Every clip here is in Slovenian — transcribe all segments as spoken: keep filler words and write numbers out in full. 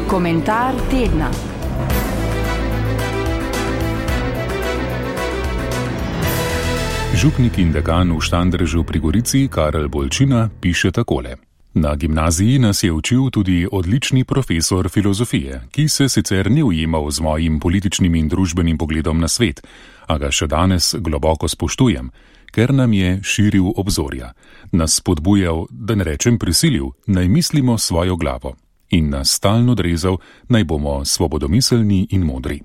Komentar tedna. Župnik in dekan v Štandrežu pri Gorici Karel Bolčina piše takole. Na gimnaziji nas je učil tudi odlični profesor filozofije, ki se sicer ni ujemal z mojim političnim in družbenim pogledom na svet, a ga še danes globoko spoštujem, ker nam je širil obzorja, nas spodbujal, da ne rečem prisilil, naj mislimo svojo glavo in nas stalno drezal, naj bomo svobodomiselni in modri.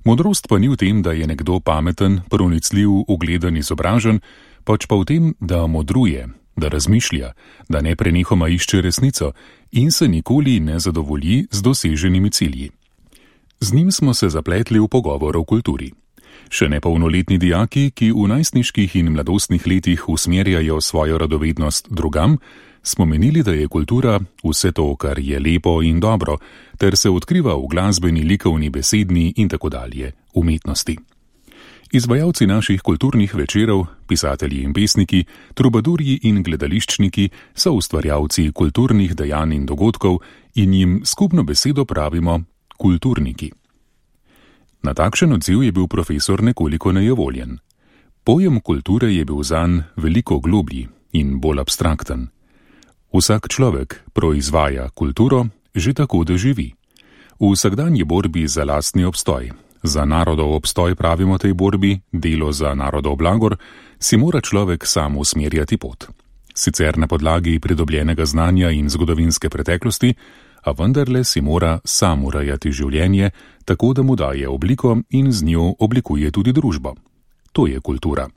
Modrost pa ni v tem, da je nekdo pameten, pronicljiv, ugleden, izobražen, pač pa v tem, da modruje, da razmišlja, da ne prenehoma išče resnico in se nikoli ne zadovolji z doseženimi cilji. Z njim smo se zapletli v pogovor o kulturi. Še nepolnoletni dijaki, ki v najstniških in mladostnih letih usmerjajo svojo radovednost drugam, smo menili, da je kultura vse to, kar je lepo in dobro, ter se odkriva v glasbeni, likovni, besedni in tako dalje umetnosti. Izvajalci naših kulturnih večerov, pisatelji in pesniki, trubadurji in gledališčniki so ustvarjalci kulturnih dejanj in dogodkov in jim skupno besedo pravimo kulturniki. Na takšen odziv je bil profesor nekoliko nejevoljen. Pojem kulture je bil zanj veliko globlji in bolj abstrakten. Vsak človek proizvaja kulturo že tako, da živi. V vsakdanji borbi za lastni obstoj, za narodov obstoj pravimo tej borbi, delo za narodov blagor, si mora človek sam usmerjati pot. Sicer na podlagi pridobljenega znanja in zgodovinske preteklosti, a vendarle si mora sam urejati življenje, tako da mu daje obliko in z njo oblikuje tudi družbo. To je kultura.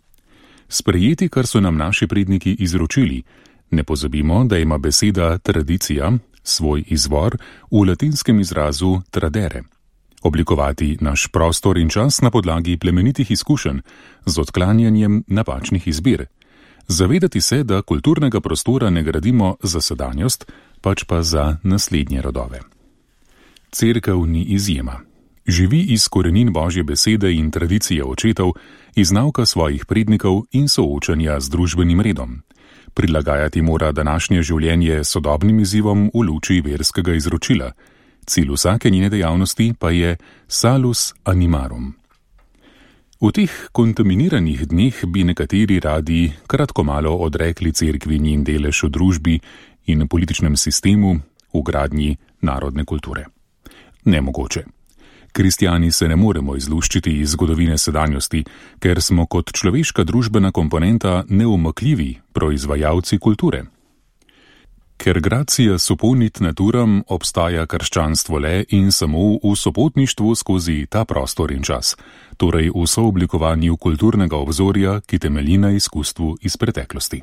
Sprejeti, kar so nam naši predniki izročili. Ne pozabimo, da ima beseda tradicija svoj izvor v latinskem izrazu tradere. Oblikovati naš prostor in čas na podlagi plemenitih izkušenj z odklanjanjem napačnih izbir. Zavedati se, da kulturnega prostora ne gradimo za sedanjost, pač pa za naslednje rodove. Cerkev ni izjema. Živi iz korenin Božje besede in tradicije očetov, iz nauka svojih prednikov in soočanja z družbenim redom. Prilagajati mora današnje življenje sodobnim izzivom v luči verskega izročila. Cilj vsake njene dejavnosti pa je salus animarum. V teh kontaminiranih dneh bi nekateri radi kratko malo odrekli cerkvi njen delež v družbi in političnem sistemu v gradnji narodne kulture. Nemogoče. Kristjani se ne moremo izluščiti iz zgodovine sedanjosti, ker smo kot človeška družbena komponenta neumakljivi proizvajalci kulture. Ker gracia supponit naturam obstaja krščanstvo le in samo v sopotništvu skozi ta prostor in čas, torej v sooblikovanju kulturnega obzorja, ki temelji na izkustvu iz preteklosti.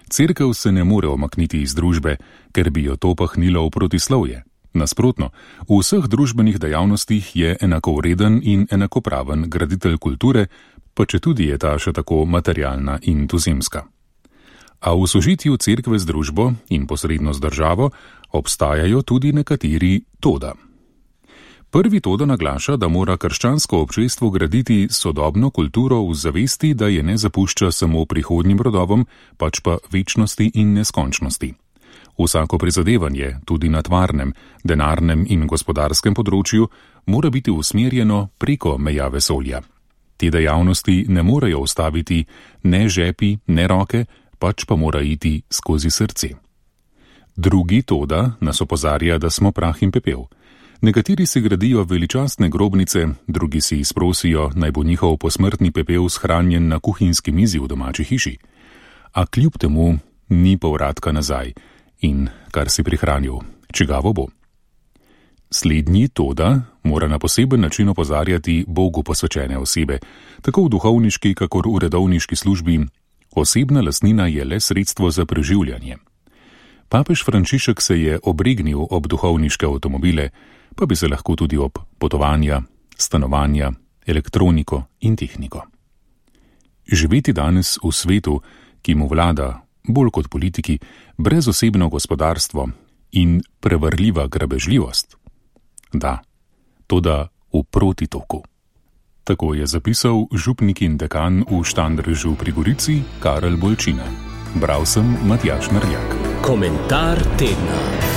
Cerkev se ne more omakniti iz družbe, ker bi jo to pahnilo v protislovje. Nasprotno, v vseh družbenih dejavnostih je enakovreden in enakopraven graditelj kulture, pa četudi je ta še tako materialna in tuzemska. A v sožitju cerkve z družbo in posredno z državo obstajajo tudi nekateri toda. Prvi toda naglaša, da mora krščansko občestvo graditi sodobno kulturo v zavesti, da je ne zapušča samo prihodnjim rodovom, pač pa večnosti in neskončnosti. Vsako prizadevanje, tudi na tvarnem, denarnem in gospodarskem področju, mora biti usmerjeno preko meja vesolja. Te dejavnosti ne morejo ustaviti ne žepi, ne roke, pač pa mora iti skozi srce. Drugi toda nas opozarja, da smo prah in pepel. Nekateri si gradijo veličastne grobnice, drugi si izprosijo, naj bo njihov posmrtni pepel shranjen na kuhinjski mizi v domači hiši. A kljub temu ni povratka nazaj. In kar si prihranil, čigavo bo. Slednji toda mora na poseben način opozarjati Bogu posvečene osebe, tako v duhovniški kakor v redovniški službi. Osebna lastnina je le sredstvo za preživljanje. Papež Frančišek se je obregnil ob duhovniške avtomobile, pa bi se lahko tudi ob potovanja, stanovanja, elektroniko in tehniko. Živeti danes v svetu, ki mu vlada bolj kot politiki, brezosebno gospodarstvo in prevarljiva grabežljivost? Da, toda v protitoku. Tako je zapisal župnik in dekan v Štandrežu pri Gorici Karel Bolčina. Bral sem Matjaž Merljak. Komentar tedna.